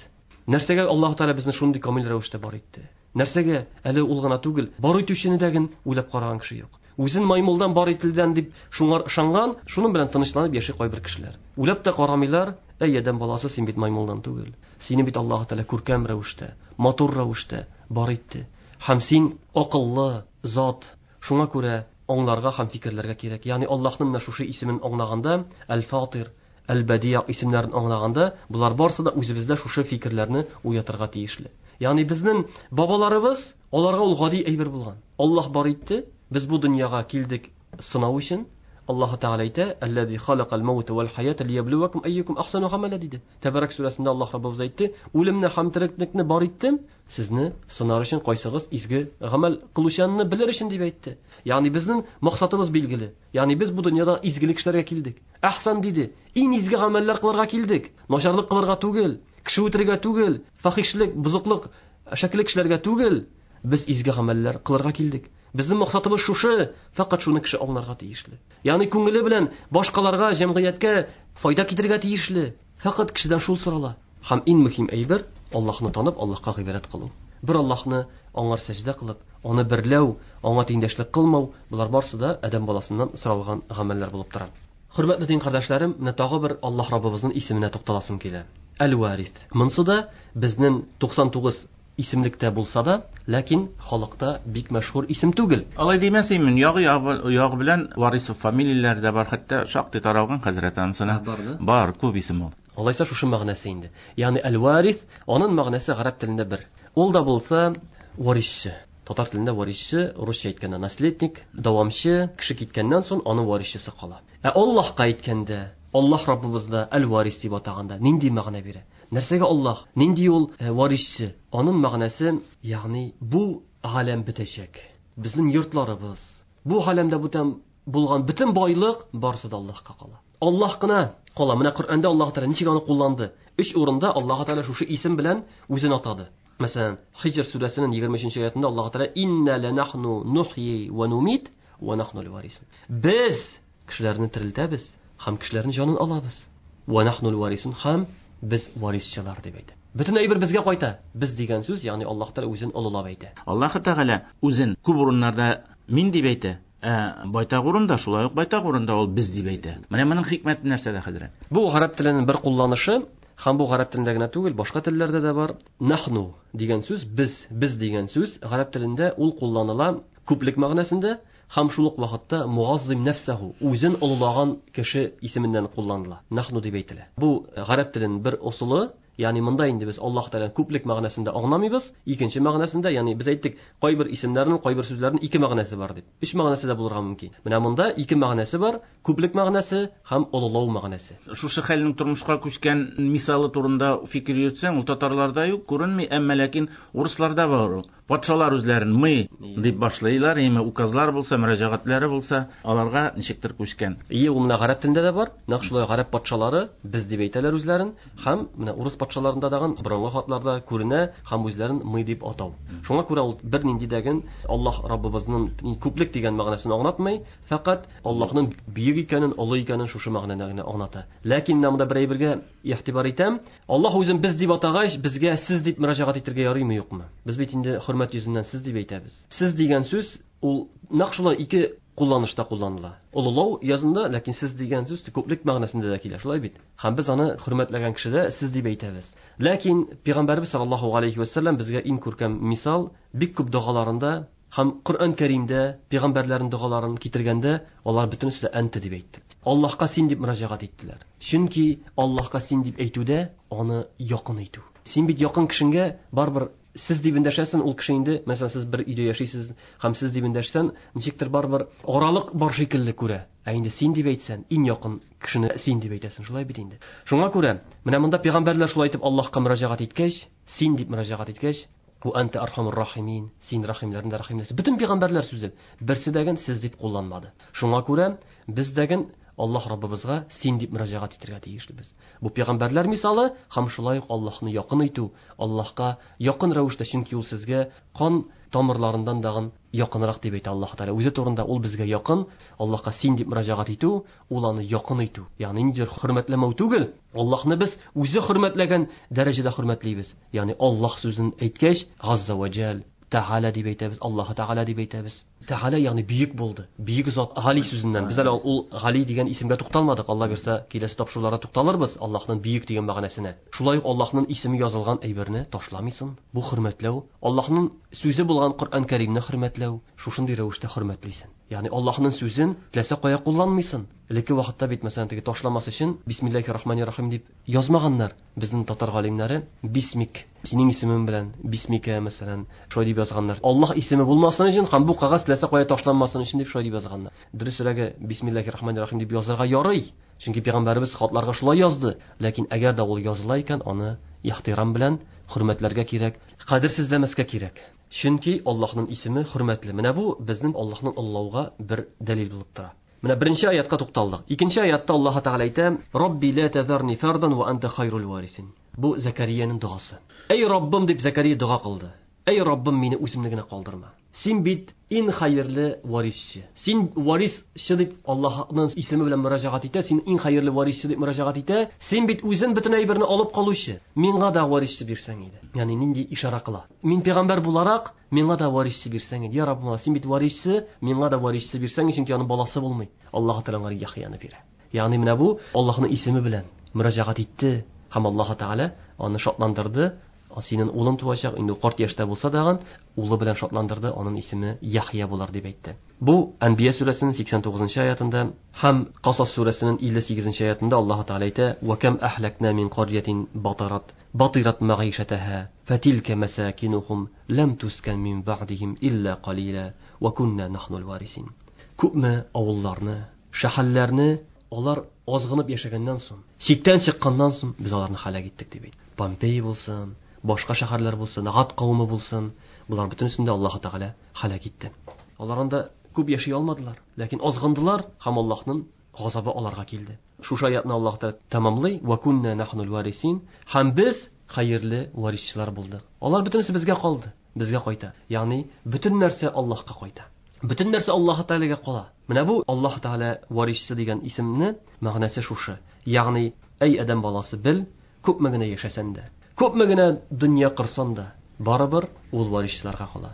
Нәрсәгә Аллаһ Тәгалә безне шундый камил рәвештә бар итте? Нәрсәгә? Әле ул гына түгел, бар итүчене дә ген уйлап караган кеше юк. Үзен маймылдан бар ителдән дип шуңар ышанган, шуның белән тынычланып яши кайбер кешеләр. Уйлап та карамыйлар, әй адәм баласы, син бит маймылдан түгел. Сине бит Аллаһ Тәгалә күркәм рәвештә, матур рәвештә бар итте. Һәм син акыллы зат. Шуңа күрә аңларга һәм фикерләргә кирәк. Ягъни Аллаһның менә шушы исемен аңлаганда, Әл-Фатир, Әл-Бәдия исемнәрен аңлаганда, булар барсы да үзебездә шушы фикерләрне уятырга тиешле. Ягъни безнең бабаларыбыз, аларга ул гади әйбер булган. Аллаһ бар итте, без бу дөньяга килдек сынау өчен. Аллаһ Тәгалә әйтә, Әлләзи халакал маута вал хаята лияблувакум айюкум ахсану гамәла диде. Тәбәрәк сүрәсендә Аллаһ Раббыбыз әйтте, үлемне һәм тереклекне бар иттем, сезне сынар өчен кайсыгыз изге гамәл кылучанны белер өчен дип әйтте. Ягъни безнең максатыбыз билгеле. Ягъни без бу дөньяда изгелек эшләргә килдек. Әхсан диде, иң изге гамәлләр кылырга килдек. Начарлык кылырга түгел, кеше үтерергә түгел, фахишлек, бозыклык, шәклек эшләргә түгел. Без изге гамәлләр кылырга килдек. Безнең максатыбыз шушы, фәкать шуны кеше аңларга тиешле. Ягъни күңеле белән башкаларга, җәмгыятькә файда китерергә тиешле. Фәкать кешедән шул сорала. Һәм иң мөһим әйбер Аллаһны танып, Аллаһка гыйбадәт кылу. Бер Аллаһны аңар сәҗдә кылып, аны берләү, аңа тиңдәшлек кылмау, булар барсы да адәм баласыннан соралган гамәлләр булып тора. Хөрмәтле дин кардәшләрем, менә тагы бер Аллаһ Раббыбызның исеменә тукталасым килә. Әл-Варис. Монсы да безнең 99 исемлектә булса да, ләкин халыкта бик мәшһүр исем түгел. Алай димәсәм, ягы ягы белән Варисов фамилияләре дә бар, хәтта шактый таралган хәзрәт анысына. Бар да? Бар, күп исем ул. Алайса шушы мәгънәсе инде. Ягъни әл-варис, аның мәгънәсе гарәп телендә бер. Ул да булса варисчы. Татар телендә варисчы, русча әйткәндә наследник, дәвамчы, кеше киткәннән соң аның варисчысы кала. Ә Аллаһка әйткәндә, Аллаһ Раббыбызда әл-варис дип атаганда нинди мәгънә бирә? Нәрсәгә Аллаһ? Нинди ул варисчы? Аның мәгънәсе, ягъни бу галәм бетәчәк. Безнең йортларыбыз, бу галәмдә бүтән булган бөтен байлык барысы да Аллаһка кала. Аллаһ кына кала. Менә Коръәндә Аллаһ Тәгалә ничек аны кулланды? Өч урында Аллаһ Тәгалә шушы исем белән үзен атады. Мәсәлән, Хиҗр сүрәсенең 23 аятында Аллаһ Тәгалә инна ланахну нухйи ва нумит ва нахну варисун. Без кешеләрне терелтәбез һәм кешеләрнең җанын алабыз. Ва нахну варисун һәм без варисчылар дип әйтә. Бөтен әйбер безгә кайта. Без дигән сүз, ягъни Аллаһ Тәгалә үзен олылап әйтә. Аллаһ Тәгалә үзен күп урыннарда мин дип әйтә. Ә байтак урында, шулай ук байтак урында ул без дип әйтә. Менә моның хикмәте нәрсәдә, хәзрәт? Бу гарәп теленең бер кулланышы, һәм бу гарәп телендә генә түгел, башка телләрдә дә бар. Нахну дигән сүз, без, без дигән сүз гарәп телендә ул кулланыла күплек мәгънәсендә һәм шул ук вакытта муаззим нәфсәһу, үзен олылаган кеше исеменнән кулланыла. Нахну дип әйтелә. Бу гарәп теленең бер ысулы. Ягъни монда инде без Аллаһ Тәгаләнең күплек мәгънәсендә аңламыйбыз, икенче мәгънәсендә, ягъни без әйттек, кайбер исемнәрнең, кайбер сүзләрнең ике мәгънәсе бар дип. Өч мәгънәсе дә булырга мөмкин. Менә монда ике мәгънәсе бар, күплек мәгънәсе һәм олылау мәгънәсе. Шушы хәлнең тормышка күчкән мисалы турында фикер йөртсәң, ул татарларда юк, күренми, әмма ләкин урысларда бар ул. Патшалар үзләрен мы дип башлыйлар, яме указлар булса, мөрәҗәгатьләре булса, аларга ничектер күчкән. Ие, ул менә гарәп телендә дә бар. Нәкъ шулай гарәп патшалары без дип әйтәләр үзләрен, һәм менә урыс патшаларында дагын борынгы хатларда күренә һәм үзләрен мы дип атау. Шуңа күрә ул бернинди дәген Аллаһ Раббыбызның күплек дигән мәгънәсен аңлатмый, фәкать Аллаһның бөек икәнен, олы икәнен шушы мәгънәне генә аңлата. Ләкин менә монда бер әйбергә игътибар итәм. Аллаһ үзен без дип атагач, безгә сез дип мөрәҗәгать итәргә ярыймы, юкмы? Без бит инде хөрмәт йөзеннән сез дип әйтәбез. Сез дигән сүз ул нәкъ шулай ике кулланышта кулланыла. Олылау язында, ләкин сез дигән сүз күплек мәгънәсендә дә килә, шулай бит? Һәм без аны хөрмәтләгән кешедә сез дип әйтәбез. Ләкин Пәйгамбәрбез саллаллаһу алейхи ва саллям безгә иң күркәм мисал, бик күп догаларында һәм Коръән Кәримдә пәйгамбәрләрнең догаларын китергәндә, алар бөтенесе дә әнте дип әйтте. Аллаһка син дип мөрәҗәгать иттеләр. Чөнки Аллаһка син дип әйтүдә аны якын итү. Син бит якын кешеңгә барыбер сез дип эндәшәсең, ул кеше инде, мәсәлән, сез бер өйдә яшисез һәм сез дип эндәшсән, ничектер барыбер аралык бар шикелле күрә. Ә инде син дип әйтсән, иң якын кешене син дип әйтәсең, шулай бит инде. Шуңа күрә, менә монда пәйгамбәрләр шулай итеп Аллаһка мөрәҗәгать иткәч, син дип мөрәҗәгать иткәч, Ва анта архамур рахимин, син рахимләрнең дә рахимлесе. Бөтен пәйгамбәрләр сүзе берсе дәген сез дип кулланмады. Шуңа күрә без дәген Аллаһ Раббыбызга син дип мөрәҗәгать итәргә тиешлебез. Бу пәйгамбәрләр мисалы һәм шулай ук Аллаһны якын итү, Аллаһка якын рәвештә, чөнки ул сезгә кан тамырларыннан дагын якынрак дип әйтә Аллаһ Тәгалә. Үзе турында ул безгә якын, Аллаһка син дип мөрәҗәгать итү, ул аны якын итү. Ягъни ниндидер хөрмәтләмәү түгел, Аллаһны без үзе хөрмәтләгән дәрәҗәдә хөрмәтлибез. Ягъни Аллаһ сүзен әйткәч, Газза ва Җәл, Тәгалә дип әйтәбез, Аллаһ Тәгалә дип әйтәбез. Тәгалә ягъни бөек булды, бөек зат, Гали сүзеннән. Без әле ул Гали дигән исемгә тукталмадык. Алла бирсә, киләсе тапшыруларда тукталырбыз Аллаһның бөек дигән мәгънәсенә. Шулай ук Аллаһның исеме язылган әйберне ташламыйсың. Бу хөрмәтләү, Аллаһның сүзе булган Коръән Кәримне хөрмәтләү, шушындый рәвештә хөрмәтлисең. Ягъни Аллаһның сүзен теләсә кая кулланмыйсың. Элекке вакытта бит, мәсәлән, теге ташламас өчен Бисмиллахир Рахманир Рахим дип язмаганнар. Безнең татар галимнәре Бисмик, синең исемең белән Бисмикә, мәсәлән, шулай дип язганнар. Аллаһ исеме булмасын өчен һәм бу кәгазь теләсә кая ташланмасын өчен дип шулай дип язганнар. Дөресрәге, Бисмиллахир Рахманир Рахим дип язарга ярый. Чөнки пәйгамбәребез хатларга шулай язды. Ләкин әгәр дә ул языла икән, аны ихтирам белән хөрмәтләргә кирәк, кадерсезләмәскә кирәк. Чөнки Аллаһның исеме хөрмәтле. Менә бу безнең Аллаһның олылауга бер дәлил булып тора. Менә беренче аятка тукталдык. Икенче аятта Аллаһ Тәгалә әйтә: Рабби ла тазарни фардан ва анта хайрул варисин. Бу Закариянең догасы. Эй Раббым дип Закария дога кылды. Эй Раббым, мине үземне генә калдырма. Син бит иң хәерле варисчы. Син варисчы дип Аллаһның исеме белән мөрәҗәгать итә, син иң хәерле варисчы дип мөрәҗәгать итә. Син бит үзең бөтен әйберне алып калучы. Миңа да варисчы бирсәң иде. Ягъни нинди ишара кыла? Мин пәйгамбәр буларак, миңа да варисчы бирсәң иде. Я Раббым, син бит варисчы, миңа да варисчы бирсәң, чөнки аның баласы булмый. Аллаһ Тәгалә аңа Яхъяны бирә. Ягъни менә бу Аллаһның исеме белән мөрәҗәгать итте һәм Аллаһ Тәгалә аны шатландырды. Синең улың туачак, инде карт яшьтә булса дагын, улы белән шатландырды, аның исеме Яхъя булыр дип әйтте. Бу Әнбия сүрәсенең 89 аятында һәм Касас сүрәсенең 58 аятында Аллаһ Тәгалә әйтә: Ва кам ахлакна мин қарьятин батарат батират мәгыйшәтәһа фатилка масакинухум лам тускан мин ба'дихим илла қалила ва кунна нахнул варисин. Күпме авылларны, шәһәрләрне алар азгынып яшәгәннән соң, чиктән чыкканнан соң без аларны һәлак иттек дип әйтте. Помпей булсын, башка шәһәрләр булсын, Гад кавеме булсын, булар бөтенесен дә Аллаһ Тәгалә һәлак итте. Алар анда күп яши алмадылар, ләкин азгындылар һәм Аллаһның газабы аларга килде. Шушы аятны Аллаһ Тәгалә тәмамлый: Ва кунна нахнул варисин. Һәм без хәерле варисчылар булдык. Алар бөтенесе безгә калды, безгә кайта. Ягъни бөтен нәрсә Аллаһка кайта. Бөтен нәрсә Аллаһ Тәгаләгә кала. Менә бу Аллаһ Тәгалә варисчы дигән исемне мәгънәсе шушы. Ягъни, әй адәм баласы, бел, күпме генә яшәсәң дә, күпме генә дөнья кырсаң да, барыбер ул варисчыларга кала.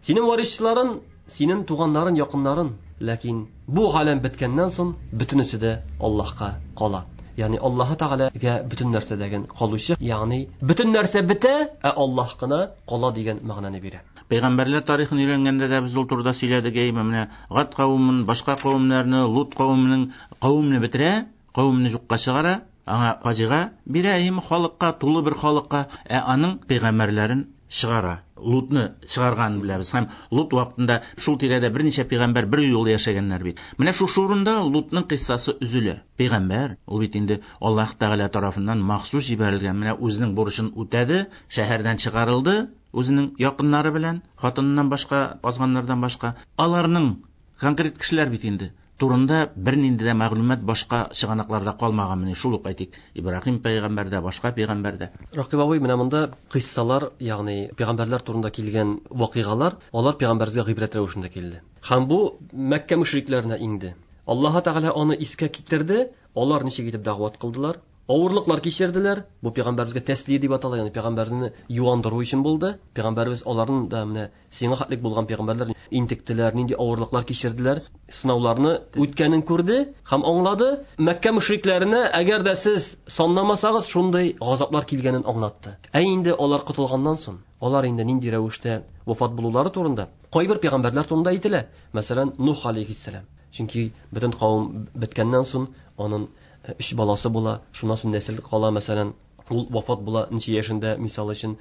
Синең варисчыларың, синең туганнарың, якыннарың, ләкин бу галәм беткәннән соң бөтенесе дә Аллаһка кала. Ягъни Аллаһ Тәгаләгә бөтен нәрсәдәген калучы, ягъни бөтен нәрсә бетә, ә Аллаһ кына кала дигән мәгънәне бирә. Пәйгамбәрләр тарихын өйрәнгәндә дә без ул турыда сөйләдек, әйме, менә Гад кавемен, башка кавемнәрне, Лут кавеменең кавемне бетерә, кавемне юкка чыгара. Аңа фаҗига бирә, им халыкка, тулы бер халыкка, ә аның пәйгамбәрләрен чыгара. Лутны чыгарганын беләбез. Һәм Лут вакытында шул тирәдә берничә пәйгамбәр бер юлы яшәгәннәр бит. Менә шушы урында Лутның кыйссасы өзелә. Пәйгамбәр, ул бит инде Аллаһ Тәгалә тарафыннан махсус җибәрелгән, менә үзенең бурычын үтәде, шәһәрдән чыгарылды, үзенең якыннары белән, хатыныннан башка, азганнардан башка. Аларның конкрет кешеләр бит инде турында бернинди дә мәгълүмат башка чыганакларда калмаган. Менә шул ук әйтик, Ибраһим пәйгамбәрдә, башка пәйгамбәрдә. Ракыйп абый, менә монда кыйссалар, ягъни пәйгамбәрләр турында килгән вакыйгалар, алар пәйгамбәребезгә гыйбрәт рәвешендә килде. Һәм бу Мәккә мөшрикләренә иңде. Аллаһ Тәгалә аны искә китерде, алар ничек итеп дәгъват кылдылар, авырлыклар кичерделәр. Бу пәйгамбәребезгә тәслия дип атала, ягъни пәйгамбәрне юандыру өчен булды. Пәйгамбәребез аларның да менә сиңа хәтлек булган пәйгамбәрләр интектеләр, нинди авырлыклар кичерделәр, сынауларны үткәнен күрде һәм аңлады. Мәккә мөшрикләренә, әгәр дә сез санламасагыз, шундый газаплар килгәнен аңлатты. Ә инде алар котылганнан соң, алар инде нинди рәвештә вафат булулары турында кайбер пәйгамбәрләр турында әйтелә. Мәсәлән, Нух алейхиссәлам. Чөнки бөтен кавым беткәннән соң аның 3 баласы була, шуннан соң нәсел кала, мәсәлән, ул вафат була ничә яшендә, мисал өчен.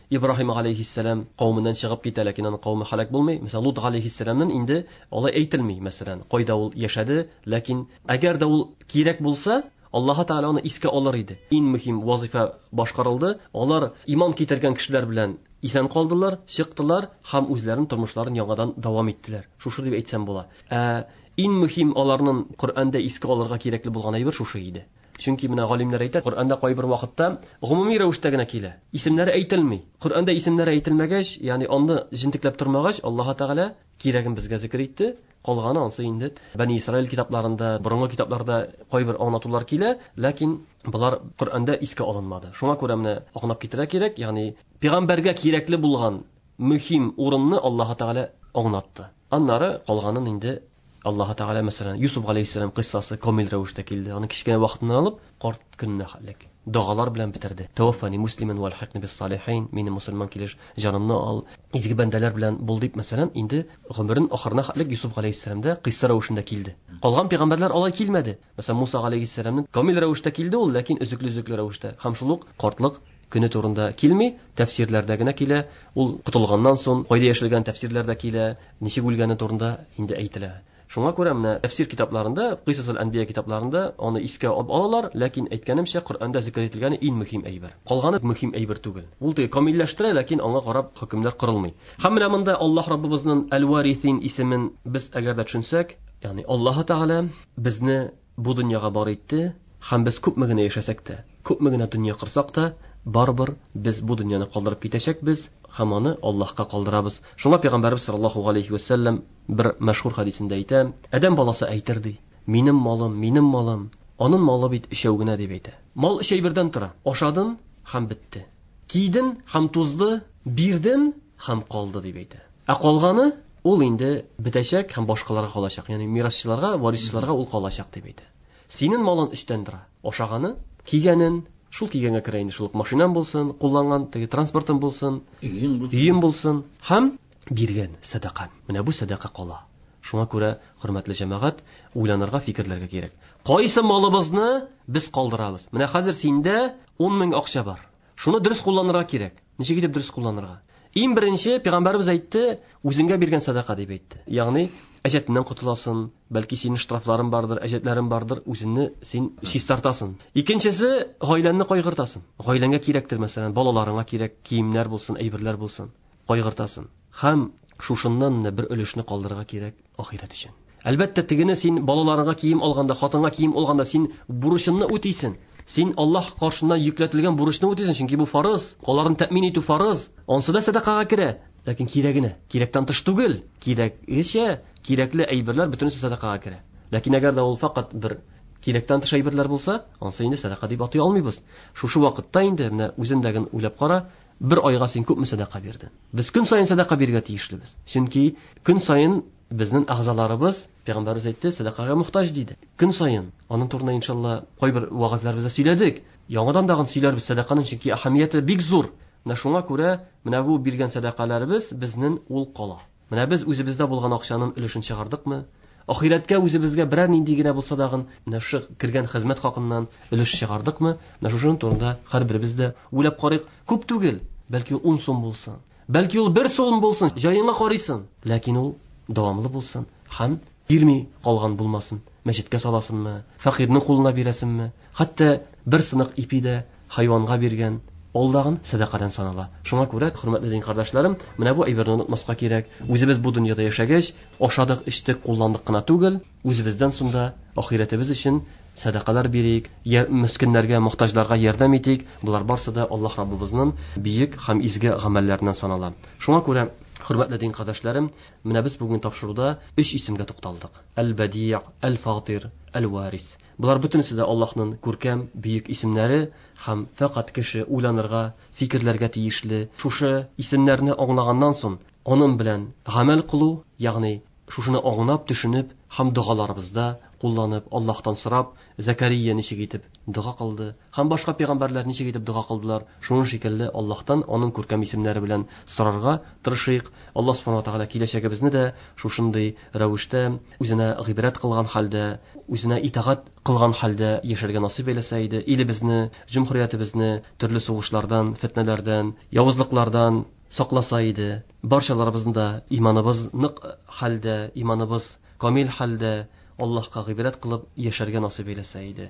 Ибраһим алейхиссәлам кавеменнән чыгып китә, ләкин аның кавеме һәлак булмый. Мәсәлән, Лут алейхиссәламның инде алай әйтелми, мәсәлән, кайда ул яшәде, ләкин әгәр дә ул кирәк булса, Аллаһ Тәгалә аны искә алыр иде. Иң мөһим вазифа башкарылды. Алар иман китергән кешеләр белән исән калдылар, чыктылар һәм үзләренең тормышларын яңадан дәвам иттеләр. Шушы дип әйтсәм була. Ә иң мөһим аларның Коръәндә искә алырга кирәкле булган әйбер шушы иде. Чөнки менә галимнәр әйтә, Коръәндә кайбер вакытта гомуми рәвештә генә килә. Исемнәре әйтелми. Коръәндә исемнәре әйтелмәгәч, ягъни аны җентекләп тормагач, Аллаһ Тәгалә кирәген безгә зикр итте. Калганы ансы инде Бәни Исраил китапларында, борынгы китапларда кайбер аңлатулар килә, ләкин болар Коръәндә искә алынмады. Шуңа күрә менә аңлап китерә кирәк, ягъни пәйгамбәргә кирәкле булган мөһим урынны Аллаһ Тәгалә аңлатты. Аннары калганын инде Аллаһ Тәгалә, мәсәлән, Юсуф алейхиссәлам кыйссасы камил рәвештә килде. Аны кечкенә вакытыннан алып, карт көненә хәтлек догалар белән бетерде. Таваффани муслиман валхикни бис салихин, мине мусульман килеш җанымны ал, изге бәндәләр белән бул дип, мәсәлән, инде гомерен ахырына хәтлек Юсуф алейхиссәлам да кыйсса рәвешендә килде. Калган пәйгамбәрләр алай килмәде. Мәсәлән, Муса алейхиссәламның камил рәвештә килде ул, ләкин өзекле-өзекле рәвештә. Һәм шул ук картлык көне турында килми, тәфсирләрдә генә килә. Ул котылганнан соң кайда яшәгән тәфсирләрдә килә, ничек үлгәне турында инде әйтелә. Шуңа күрә менә тәфсир китапларында, Кыйсасул Әнбия китапларында аны искә алып алалар, ләкин әйткәнемчә, Коръәндә зикр ителгәне иң мөһим әйбер. Калганы мөһим әйбер түгел. Ул теге камилләштерә, ләкин аңа карап хөкемнәр корылмый. Һәм менә монда Аллаһ Раббыбызның Әл-Варисин исемен без әгәр дә төшенсәк, ягъни Аллаһ Тәгалә безне бу дөньяга бар итте, һәм без күпме генә яшәсәк тә, күпме генә дөнья корсак та, барыбер без бу дөньяны калдырып китәчәкбез һәм аны Аллаһка калдырабыз. Шуңа Пәйгамбәрбез саллаллаһу алейхи ва саллям бер мәшһүр хәдисендә әйтә, Адәм баласы әйтер ди, минем малым, минем малым, аның малы бит өчәү генә дип әйтә. Мал өч әйбердән тора. Ашадын һәм бетте. Киден һәм тузды, бирден һәм калды дип әйтә. Ә калганы ул инде бетәчәк һәм башкаларга калачак. Ягъни мирасчыларга, варисчыларга ул калачак дип әйтә. Синең малың өчтән тора. Ашаганы, кигәнен, шул кигәнгә керә инде, шул ук машинаң булсын, кулланган теге транспортың булсын, өең булсын һәм биргән сәдака. Менә бу сәдака кала. Шуңа күрә, хөрмәтле җәмәгать, уйланырга, фикерләргә кирәк. Кайсы малыбызны без калдырабыз? Менә хәзер синдә 10 мең акча бар. Шуны дөрес кулланырга кирәк. Ничек итеп дөрес кулланырга? Иң беренче пәйгамбәребез әйтте, үзеңгә биргән сәдака дип әйтте. Ягъни әҗәтеннән котыласың, бәлки синең штрафларың бардыр, әҗәтләрең бардыр, үзеңне син чистартасың. Икенчесе, гаиләңне кайгыртасың. Гаиләңгә кирәктер, мәсәлән, балаларыңа кирәк, киемнәр булсын, әйберләр булсын, кайгыртасың. Һәм шушыннан бер өлешне калдырырга кирәк ахирәт өчен. Әлбәттә, тегене син балаларыңа кием алганда, хатынга кием алганда син бурычыңны үтисең. Син Аллаһ каршында йөкләтелгән бурычны үтисең, чөнки бу фарыз, аларны тәэмин итү фарыз. Ансы да сәдакага керә, ләкин кирәгенә, кирәктән тыш түгел. Кирәгечә, кирәкле әйберләр бөтенесе сәдакага керә. Ләкин әгәр дә ул факат бер кирәктән тыш әйберләр булса, ансы инде сәдака дип атый алмыйбыз. Шушы вакытта инде менә үзеңдәген уйлап кара, бер айга син күпме сәдака бирдең? Без көн саен сәдака бирергә тиешлебез. Чөнки көн саен безнең әгъзаларыбыз, Пәйгамбәребез әйтте, сәдакага мохтаҗ диде. Көн саен. Аның турында иншалла кайбер вәгазьләребездә сөйләдек. Яңадан тагын сөйләрбез сәдаканың, чөнки әһәмияте бик зур. Менә шуңа күрә менә бу биргән сәдакаларыбыз безнең ул кала. Менә без үзебездә булган акчаның өлешен чыгардыкмы? Ахирәткә үзебезгә берәр нинди генә булса дагын менә шушы кергән хезмәт хакыннан өлеш чыгардыкмы? Менә шушының турында һәрберебез дә уйлап карыйк. Күп түгел, бәлки ул 10 сум булсын, бәлки ул 1 сум булсын, җаеңа карыйсың, ләкин ул дәвамлы булсын һәм бирми калган булмасын. Мәчеткә саласынмы, фәкыйрьнең кулына бирәсеңме, хәтта бер сынык ипи дә хайванга биргән алдагын сәдакадан санала. Шуңа күрә, хөрмәтле дин кардәшләрем, менә бу әйберне онытмаска кирәк. Үзебез бу дөньяда яшәгәч, ашадык, эчтек, кулландык кына түгел, үзебездән соң да ахирәтебез өчен сәдакалар бирик, мескеннәргә, мохтаҗларга ярдәм итик. Болар барсы да Аллаһ Раббыбызның бөек һәм изге гамәлләреннән санала. Шуңа күрә, хөрмәтле дин кардәшләрем, менә без бүген тапшыруда өч исемгә тукталдык. Әл-Бәди', Әл-Фатир, Әл-Варис. Болар бөтенесе дә Аллаһның күркәм, бөек исемнәре һәм фәкать кеше уйланырга, фикерләргә тиешле. Шушы исемнәрне аңлаганнан соң, аның белән гамәл кылу, ягъни шушыны аңлап, төшенеп һәм догаларыбызда кулланып, Аллаһтан сорап, Закария ничек итеп дога кылды һәм башка пәйгамбәрләр ничек итеп дога кылдылар, шуның шикелле Аллаһтан аның күркәм исемнәре белән сорарга тырышыйк. Аллаһ субхана ва тааля киләчәгебезне дә шушындый рәвештә үзенә гыйбрәт кылган хәлдә, үзенә итагать кылган хәлдә яшәргә насыйп әйләсә иде. Илебезне, җөмһүриятебезне төрле сугышлардан, фитнәләрдән, явызлыклардан сакласа иде. Барчаларыбызның да иманыбыз нык хәлдә, иманыбыз камил хәлдә Аллаһка гыйбрәт кылып яшәргә насыйп әйләсә иде.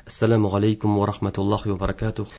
Ассаламу алейкум ва рахматуллахи ва баракатух.